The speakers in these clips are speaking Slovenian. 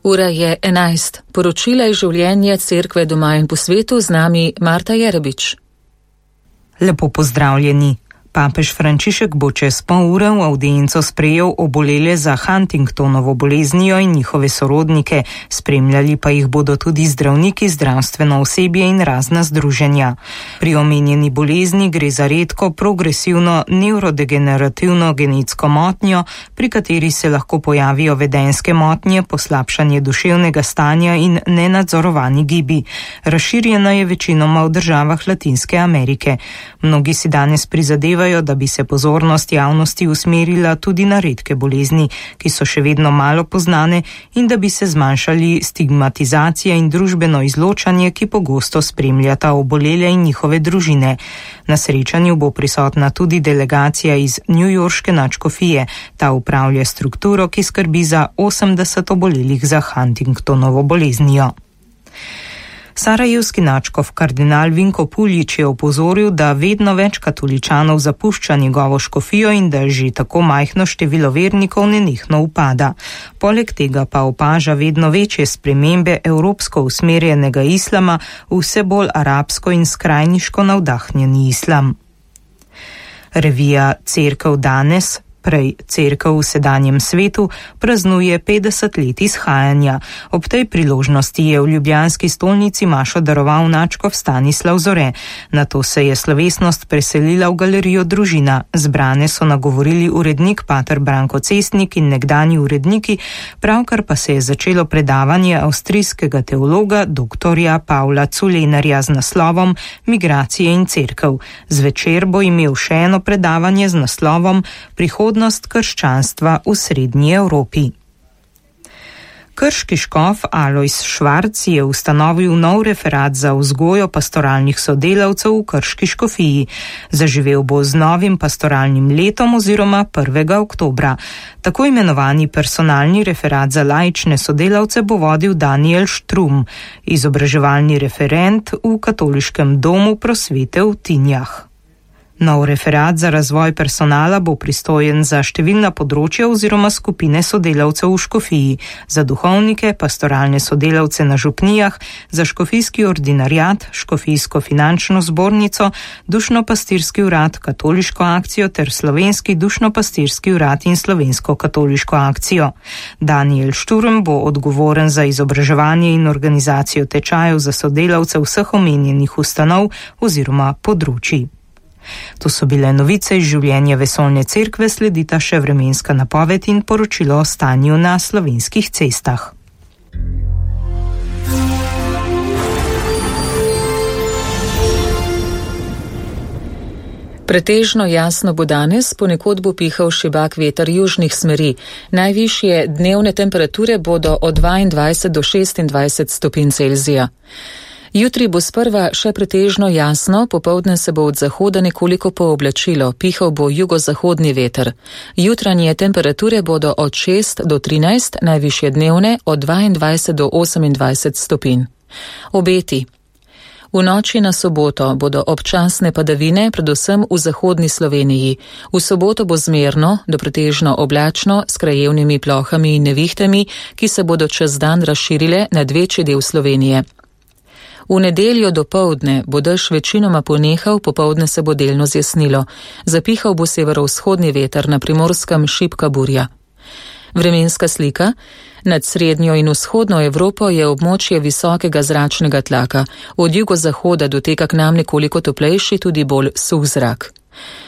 Ura je 11. Poročila iz življenja Cerkve doma in po svetu, z nami Marta Jerebič. Lepo pozdravljeni. Papež Frančišek bo čez pol ure v avdienco sprejel obolele za Huntingtonovo boleznijo in njihove sorodnike, spremljali pa jih bodo tudi zdravniki, zdravstveno osebje in razna združenja. Pri omenjeni bolezni gre za redko progresivno nevrodegenerativno genetsko motnjo, pri kateri se lahko pojavijo vedenjske motnje, poslabšanje duševnega stanja in nenadzorovani gibi. Razširjena je večinoma v državah Latinske Amerike. Mnogi si danes prizadevajo, da bi se pozornost javnosti usmerila tudi na redke bolezni, ki so še vedno malo poznane, in da bi se zmanjšali stigmatizacija in družbeno izločanje, ki pogosto spremljata obolele in njihove družine. Na srečanju bo prisotna tudi delegacija iz newyorške nadškofije. Ta upravlja strukturo, ki skrbi za 80 obolelih za Huntingtonovo boleznijo. Sarajevski nadškof kardinal Vinko Puljič je opozoril, da vedno več katoličanov zapušča njegovo škofijo in da že tako majhno število vernikov nenehno upada. Poleg tega pa opaža vedno večje spremembe evropsko usmerjenega islama v vse bolj arabsko in skrajniško navdahnjeni islam. Revija Cerkev danes, prej Cerkev v sedanjem svetu, praznuje 50 let izhajanja. Ob tej priložnosti je v ljubljanski stolnici mašo daroval nadškof Stanislav Zore. Nato se je slovesnost preselila v galerijo Družina. Zbrane so nagovorili urednik pater Branko Cestnik in nekdanji uredniki, pravkar pa se je začelo predavanje avstrijskega teologa doktorja Pavla Culenarja z naslovom Migracije in cerkev. Zvečer bo imel še eno predavanje z naslovom Prihodnost krščanstva v Srednji Evropi. Krški škof Alojz Švarc je ustanovil nov referat za vzgojo pastoralnih sodelavcev v Krški škofiji. Zaživel bo z novim pastoralnim letom oziroma 1. oktobra. Tako imenovani personalni referat za laične sodelavce bo vodil Daniel Štrum, izobraževalni referent v Katoliškem domu prosvete v Tinjah. Nov referat za razvoj personala bo pristojen za številna področja oziroma skupine sodelavcev v škofiji, za duhovnike, pastoralne sodelavce na župnijah, za škofijski ordinariat, škofijsko finančno zbornico, dušno-pastirski urad, katoliško akcijo ter slovenski dušno-pastirski urad in slovensko katoliško akcijo. Daniel Šturm bo odgovoren za izobraževanje in organizacijo tečajev za sodelavce vseh omenjenih ustanov oziroma področij. To so bile novice iz življenja Vesoljne cerkve, sledita še vremenska napoved in poročilo o stanju na slovenskih cestah. Pretežno jasno bo danes, ponekod bo pihal šibak veter južnih smeri. Najvišje dnevne temperature bodo od 22 do 26 stopinj Celzija. Jutri bo sprva še pretežno jasno, popoldne se bo od zahoda nekoliko pooblačilo, pihal bo jugozahodni veter. Jutranje temperature bodo od 6 do 13, najvišje dnevne od 22 do 28 stopinj. Obeti. V noči na soboto bodo občasne padavine, predvsem v zahodni Sloveniji. V soboto bo zmerno do pretežno oblačno s krajevnimi plohami in nevihtami, ki se bodo čez dan razširile nad večji del Slovenije. V nedeljo dopoldne bo dež večinoma ponehal, popoldne se bo delno zjasnilo. Zapihal bo severovzhodni veter, na Primorskem šibka burja. Vremenska slika. Nad srednjo in vzhodno Evropo je območje visokega zračnega tlaka. Od jugozahoda doteka k nam nekoliko toplejši, tudi bolj suh zrak.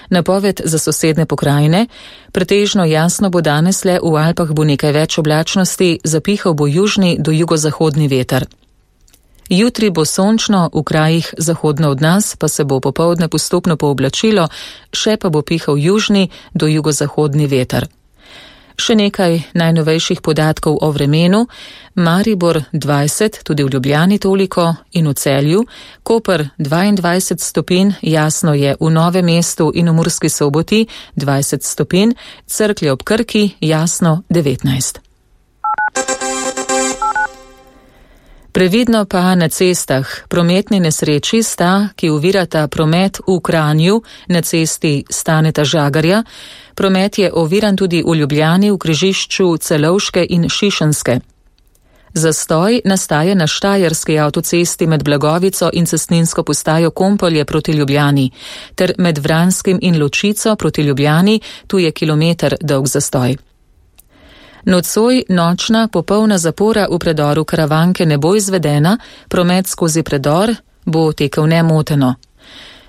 Napoved za sosedne pokrajine. Pretežno jasno bo danes, le v Alpah bo nekaj več oblačnosti, zapihal bo južni do jugozahodni veter. Jutri bo sončno, v krajih zahodno od nas pa se bo popoldne postopno pooblačilo, še pa bo pihal južni do jugozahodni veter. Še nekaj najnovejših podatkov o vremenu. Maribor 20, tudi v Ljubljani toliko, in v Celju. Koper 22 stopinj, jasno je v Novem mestu in v Murski Soboti 20 stopinj, Cerklje ob Krki jasno 19. Previdno pa na cestah. Prometni nesreči sta, ki ovirata promet v Kranju na cesti Staneta Žagarja. Promet je oviran tudi v Ljubljani v križišču Celovške in Šišenske. Zastoj nastaja na štajerski avtocesti med Blagovico in cestninsko postajo Kompolje proti Ljubljani, ter med Vranskim in Ločico proti Ljubljani, tu je kilometer dolg zastoj. Nocoj nočna popolna zapora v predoru Karavanke ne bo izvedena, promet skozi predor bo tekel nemoteno.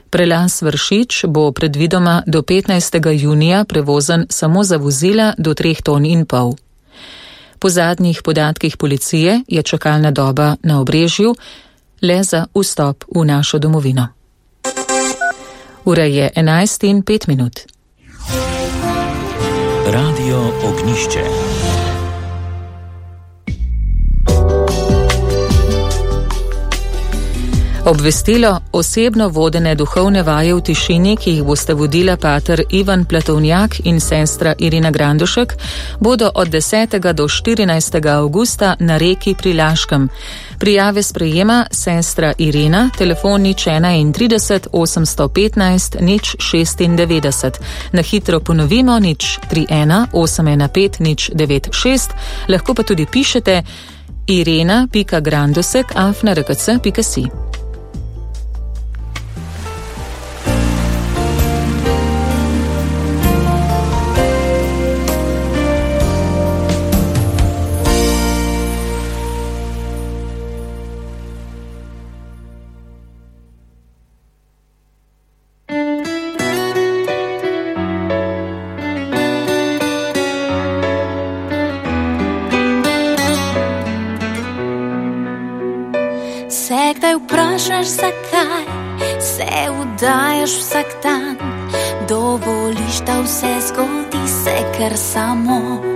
Prelaz Vršič bo predvidoma do 15. junija prevozen samo za vozila do 3,5 ton. Po zadnjih podatkih policije je čakalna doba na Obrežju le za vstop v našo domovino. Ura je 11:05. Radio Ognišče. Obvestilo: osebno vodene duhovne vaje v tišini, ki jih boste vodila pater Ivan Platovnjak in sestra Irina Grandušek, bodo od 10. do 14. avgusta na Reki pri Laškem. Prijave sprejema sestra Irina, telefon 031 815 096. Na hitro ponovimo 031 815 096, lahko pa tudi pišete irena.grandusek@rkc.si. Se kdaj vprašaš, zakaj se vdajaš vsak dan, dovoliš, da vse zgodi se kar samo.